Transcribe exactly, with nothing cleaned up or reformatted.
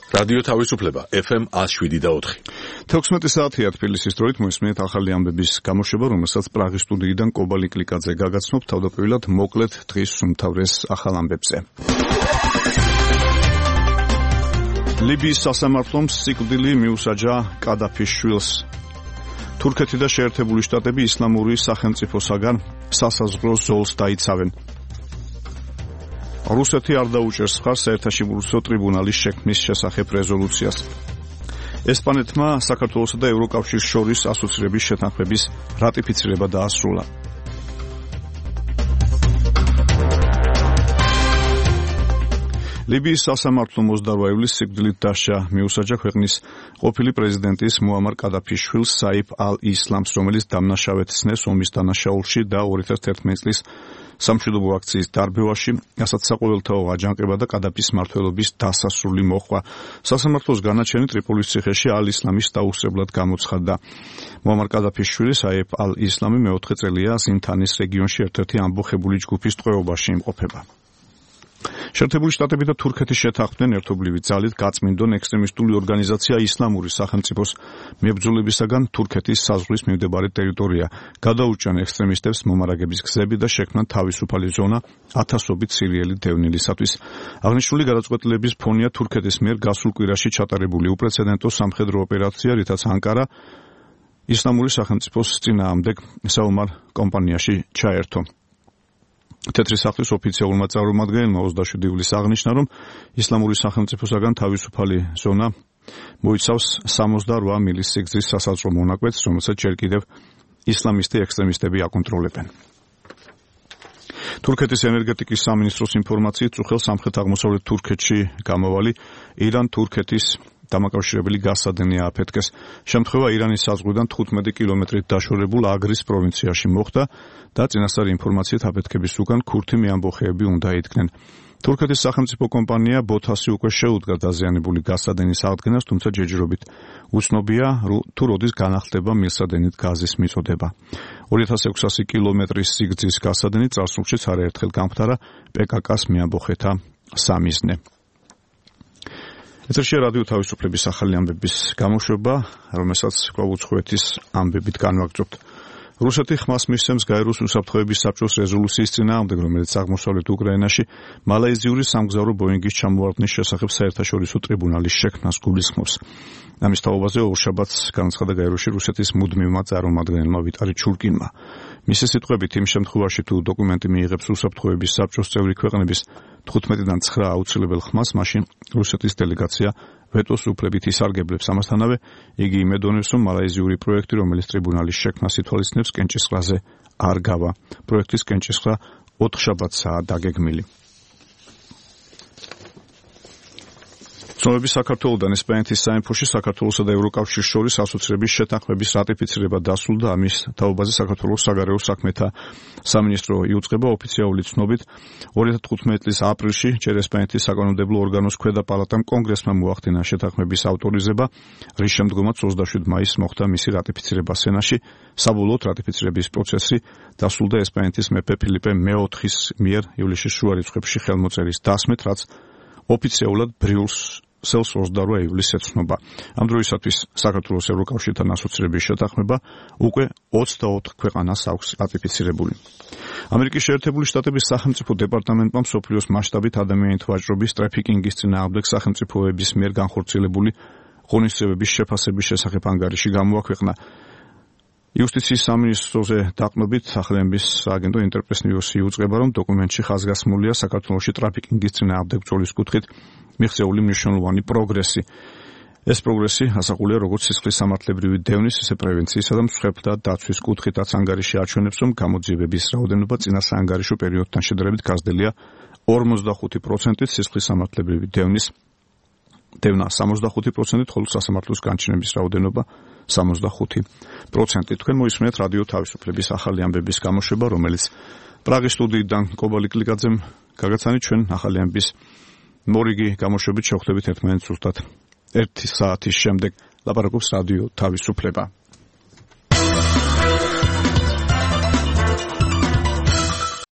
რადიო თავისუფლება ეფ ემ one oh seven და four. თექვსმეტი საათია თბილისის დროით მოისმენთ ახალი ამბების გამოშვება, რომელსაც პრაღის სტუდიიდან კობა ლიკლიკაძე გაგაცნობ. თავდაპირველად მოკლედ დღის უმთავრეს ახალ ამბებზე. ლიბიის სასამართლომ სიკვდილი მიუსაჯა კადაფის შვილს. თურქეთი და შეერთებული შტატები ისლამური სახელმწიფოსაგან სასაზღვრო ზოლს დაიცავენ. რუსეთი არ დაუჭერს მხარს საერთაშორისო ტრიბუნალის შექმნის შესახებ რეზოლუციას. ესპანეთმა საქართველოსა და ევროკავშირის შორის ასოცირების შეთანხმების რატიფიცირება დაასრულა. ლიბიის სასამართლომ ოცდაოთხ ივლისს სიკვდილით დასჯა მიუსაჯა ქვეყნის ყოფილი პრეზიდენტის მუამარ კადაფის შვილს საიფ ალ-ისლამს, რომელიც დამნაშავედ ცნეს ომის დანაშაულში და ორი ათას თერთმეტი წლის სამშვიდობო აქციის დარბევაში, რასაც საყოველთაო აჯანყება და კადაფის მმართველობის დასასრული მოჰყვა. სასამართლოს განაჩენი ტრიპოლის ციხეში ალ-ისლამის დაუსწრებლად გამოცხადდა. მუამარ კადაფის შვილი საიფ ალ-ისლამი მეოთხე წელია ზინთანის რეგიონში ერთ-ერთი ამბოხებული ჯგუფის ტყვეობაში იმყოფება. შეერთებული შტატები და თურქეთი შეთანხმდნენ ერთობლივი ძალით გაწმინდონ ექსტრემისტული ორგანიზაცია ისლამური სახელმწიფოს მებრძოლებისაგან თურქეთის საზღვრის მიმდებარე ტერიტორია, გადაუჭრან ექსტრემისტებს მომარაგების გზები და შექმნან თავისუფალი ზონა ათასობით სირიელი დევნილისათვის. აღნიშნული გადაწყვეტილების ფონია თურქეთის მიერ გასულ კვირაში ჩატარებული უპრეცედენტო სამხედრო ოპერაცია, რითაც ანკარა ისლამური სახელმწიფოს წინააღმდეგ საომარ კომპანიაში ჩაერთო. თეთრი სახლის ოფიციალურმა წარმომადგენელმა ოცდაშვიდი ივლისს აღნიშნა, რომ ისლამური სახელმწიფოსაგან თავისუფალი ზონა მოიცავს სამოცდაოთხ მილის სიგრძის სასაზღვრო მონაკვეთს, რომელსაც ჯერ კიდევ ისლამისტი ექსტრემისტები აკონტროლებენ. თურქეთის ენერგეტიკის სამინისტროს ინფორმაციით, წუხელ სამხრეთ-აღმოსავლეთ თურქეთში გამავალი ირან-თურქეთის დამაკავშირებელი გასადენი ააფეთქეს. შემთხვევა ირანის საზღვრიდან თხუთმეტი კილომეტრით დაშორებულ აგრის პროვინციაში მოხდა და წინასწარი ინფორმაციით აფეთქების უკან ქურთი მეამბოხეები უნდა იდგნენ. თურქეთის სახელმწიფო კომპანია ბოთასი უკვე შეუდგა დაზიანებული გასადენის აღდგენას, თუმცა ჯერჯერობით უცნობია თუ როდის განახლდება მილსადენით გაზის მიწოდება. ორი ათას ექვსასი კილომეტრის სიგრძის გასადენი წარსულშიც არაერთხელ გამხდარა პე კა კას მეამბოხეთა სამიზნე. ეთერშია რადიო თავისუფლების ახალი ამბების გამოშვება, რომელსაც კვლავ-უცხოეთის ამბებით განვაგრძობთ. რუსეთი ხმას მისცემს გაეროს უსაფრთხოების საბჭოს რეზოლუციის წინააღმდეგ, რომელიც აღმოსავლეთ უკრაინაში მალაიზიური სამგზავრო ბოინგის ჩამოვარდნის შესახებ საერთაშორისო ტრიბუნალის შექმნას გულისხმობს. ამის თაობაზე ორშაბათს განაცხადა გაეროში რუსეთის მუდმივმა წარმომადგენელმა ვიტალი ჩურკინმა. მისი სიტყვებით, იმ შემთხვევაში თუ დოკუმენტი მიიღებს უსაფრთხოების საბჭოს წევრი ქვეყნების თხუთმეტიდან ცხრა აუცილებელ ხმას, მაშინ რუსეთის დელეგაცია ვეტოს უფლებით ისარგებლებს. ამასთანავე იგი იმედოვნებს, რომ მალაიზიური პროექტი, რომელიც ტრიბუნალის შექმნას ითვალისწინებს, კენჭისყრაზე არ გავა. პროექტის კენჭისყრა ოთხშაბათსაა დაგეგმილი. ცნობები საქართველოდან ესპანეთის საინფოში საქართველოსა და ევროკავშირის შორის ასოცირების შეთანხმების რატიფიცირება დასრულდა. ამის თაობაზე საქართველოს საგარეო საქმეთა სამინისტრო იუწყება. ოფიციალური ცნობით ორი ათას თხუთმეტი წლის აპრილში ჯერ ესპანეთის საკანონმდებლო ორგანოს ქვედა პალატამ კონგრესმა მოახდინა შეთანხმების ავტორიზება, რის შემდგომაც ოცდაშვიდ მაისს მოხდა მისი რატიფიცირება სენატში. საბოლოოდ რატიფიცირების პროცესი დასრულდა ესპანეთის მეფე ფილიპე მეოთხის მიერ ივლისის შუა რიცხვებში ხელმოწერის დასმით, რაც ოფიციალურად ბრიულს სელს ოცდაოთხ ივლისს ეცნობა. ამ დროისათვის საქართველოს ევროკავშირთან ასოცირების შეთანხმება უკვე ოცდაოთხ ქვეყანას აქვს რატიფიცირებული. ამერიკის შეერთებული შტატების სახელმწიფო დეპარტამენტმა მსოფლიოს მასშტაბით ადამიანით ვაჭრობის ტრაფიკინგის წინააღმდეგ სახელმწიფოების მიერ განხორციელებული ღონისძიებების შეფასების შესახებ ანგარიში გამოაქვეყნა. იუსტიციის სამინისტროზე დაყრდნობით სახელმწიფოს სააგენტო ინტერპრეს ნიუსი იუწყება, რომ დოკუმენტში ხაზგასმულია საქართველოში ტრაფიკინგის წინააღმდეგ ბრძოლის კუთხით მიღწეული მნიშვნელოვანი პროგრესი. ეს პროგრესი ასახულია როგორც სისხლის სამართლებრივი დევნის, ისე პრევენციისა და მსხვერპლთა დაცვის კუთხითაც. ანგარიში აჩვენებს, რომ გამოძიებების რაოდენობა წინა საანგარიშო პერიოდთან შედარებით გაზრდილია ორმოცდახუთი პროცენტით, სისხლის სამართლებრივი დევნის დევნა სამოცდახუთი პროცენტით, ხოლო სასამართლოს განჩინების რაოდენობა სამოცდახუთი პროცენტით. თქვენ მოისმენთ რადიო თავისუფლების ახალი ამბების გამოშვება, რომელიც პრაღის სტუდიიდან კობა ლიკლიკაძემ გაგაცანით. ჩვენ ახალი ამბების მორიგი გამოშვებით შევხვდებით ერთმანეთს ზუსტად ერთი საათის შემდეგ. ლაპარაკობს რადიო თავისუფლება.